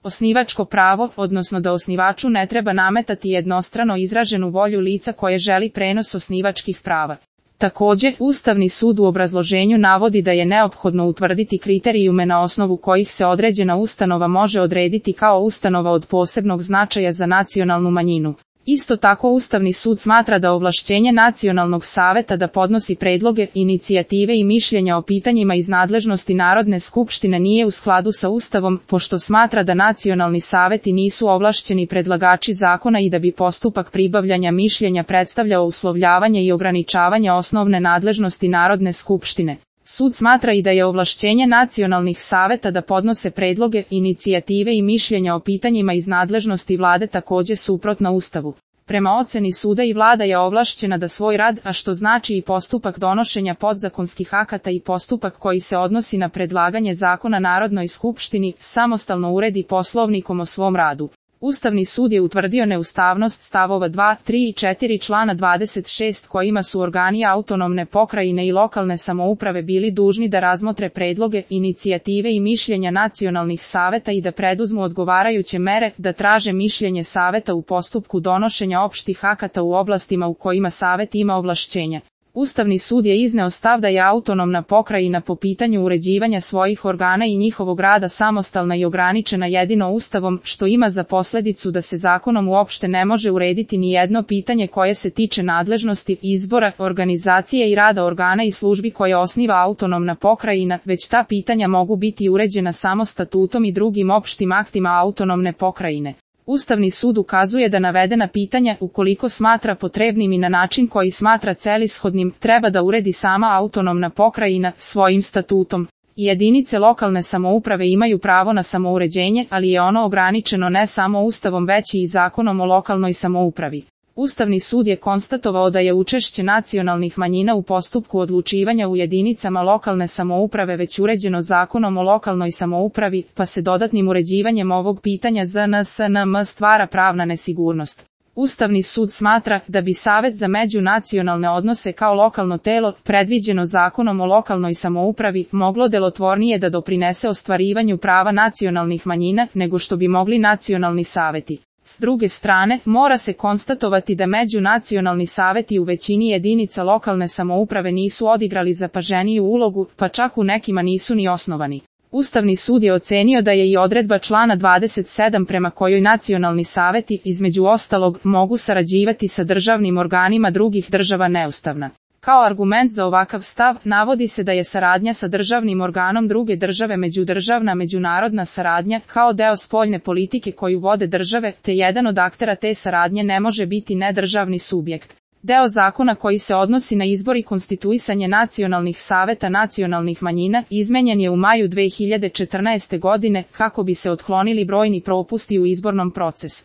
Osnivačko pravo, odnosno da osnivaču ne treba nametati jednostrano izraženu volju lica koje želi prenos osnivačkih prava. Također, Ustavni sud u obrazloženju navodi da je neophodno utvrditi kriterijume na osnovu kojih se određena ustanova može odrediti kao ustanova od posebnog značaja za nacionalnu manjinu. Isto tako Ustavni sud smatra da ovlašćenje Nacionalnog saveta da podnosi predloge, inicijative i mišljenja o pitanjima iz nadležnosti Narodne skupštine nije u skladu sa Ustavom, pošto smatra da nacionalni saveti nisu ovlašćeni predlagači zakona i da bi postupak pribavljanja mišljenja predstavljao uslovljavanje i ograničavanje osnovne nadležnosti Narodne skupštine. Sud smatra i da je ovlašćenje nacionalnih saveta da podnose predloge, inicijative i mišljenja o pitanjima iz nadležnosti vlade također suprotno Ustavu. Prema oceni suda i vlada je ovlašćena da svoj rad, a što znači i postupak donošenja podzakonskih akata i postupak koji se odnosi na predlaganje zakona Narodnoj skupštini, samostalno uredi poslovnikom o svom radu. Ustavni sud je utvrdio neustavnost stavova 2, 3 i 4 člana 26 kojima su organi autonomne pokrajine i lokalne samouprave bili dužni da razmotre predloge, inicijative i mišljenja nacionalnih saveta i da preduzmu odgovarajuće mere, da traže mišljenje saveta u postupku donošenja opštih akata u oblastima u kojima savet ima ovlašćenja. Ustavni sud je izneo stav da je autonomna pokrajina po pitanju uređivanja svojih organa i njihovog rada samostalna i ograničena jedino Ustavom, što ima za posljedicu da se zakonom uopšte ne može urediti ni jedno pitanje koje se tiče nadležnosti, izbora, organizacije i rada organa i službi koje osniva autonomna pokrajina, već ta pitanja mogu biti uređena samo statutom i drugim opštim aktima autonomne pokrajine. Ustavni sud ukazuje da navedena pitanja, ukoliko smatra potrebnim i na način koji smatra celishodnim, treba da uredi sama autonomna pokrajina svojim statutom. Jedinice lokalne samouprave imaju pravo na samouređenje, ali je ono ograničeno ne samo Ustavom već i Zakonom o lokalnoj samoupravi. Ustavni sud je konstatovao da je učešće nacionalnih manjina u postupku odlučivanja u jedinicama lokalne samouprave već uređeno Zakonom o lokalnoj samoupravi, pa se dodatnim uređivanjem ovog pitanja ZNSNM stvara pravna nesigurnost. Ustavni sud smatra da bi Savet za međunacionalne odnose kao lokalno telo, predviđeno Zakonom o lokalnoj samoupravi, moglo delotvornije da doprinese ostvarivanju prava nacionalnih manjina nego što bi mogli nacionalni saveti. S druge strane, mora se konstatovati da međunacionalni saveti u većini jedinica lokalne samouprave nisu odigrali zapaženiju ulogu, pa čak u nekima nisu ni osnovani. Ustavni sud je ocenio da je i odredba člana 27 prema kojoj nacionalni saveti, između ostalog, mogu sarađivati sa državnim organima drugih država neustavna. Kao argument za ovakav stav, navodi se da je saradnja sa državnim organom druge države međudržavna međunarodna saradnja, kao deo spoljne politike koju vode države, te jedan od aktera te saradnje ne može biti nedržavni subjekt. Deo zakona koji se odnosi na izbor i konstituisanje nacionalnih saveta nacionalnih manjina izmenjen je u maju 2014. godine kako bi se otklonili brojni propusti u izbornom procesu.